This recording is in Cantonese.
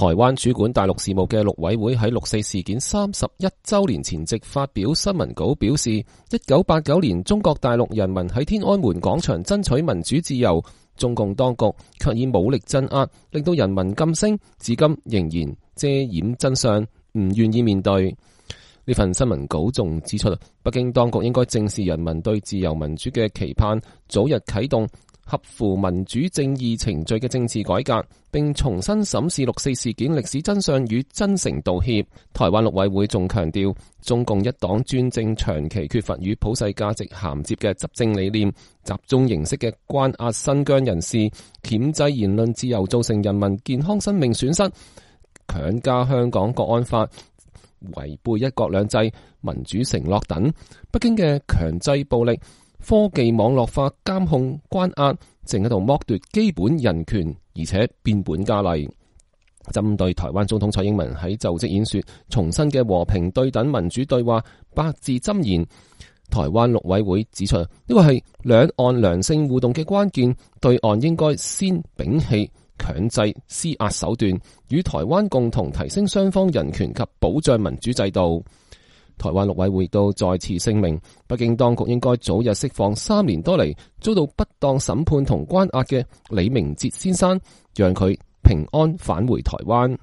台灣主管大陸事務嘅陸委會喺六四事件31週年前夕發表新聞稿表示，1989年中國大陸人民喺天安門廣場爭取民主自由，中共當局卻以武力鎮壓，令到人民噤聲，至今仍然遮掩真相，唔願意面對。呢份新聞稿仲指出，北京當局應該正視人民對自由民主嘅期盼，早日啟動合乎民主正義程序嘅政治改革，並重新審視六四事件歷史真相與真誠道歉。台灣陸委會仲強調，中共一黨專政長期缺乏與普世價值銜接嘅執政理念，集中形式嘅關押新疆人士，鉗制言論自由，造成人民健康生命損失，強加香港國安法，違背一國兩制、民主承諾等。北京嘅強制暴力、科技網絡化監控關押，正喺度剝奪基本人權，而且變本加厲。針對台灣總統蔡英文喺就職演說重申嘅和平對等民主對話八字箴言，台灣陸委會指出，呢個係兩岸良性互動嘅關鍵，對岸應該先摒棄強制施壓手段，與台灣共同提升雙方人權及保障民主制度。台灣陸委會亦都再次聲明，北京當局應該早日釋放3年多嚟遭到不當審判同關押嘅李明哲先生，讓佢平安返回台灣。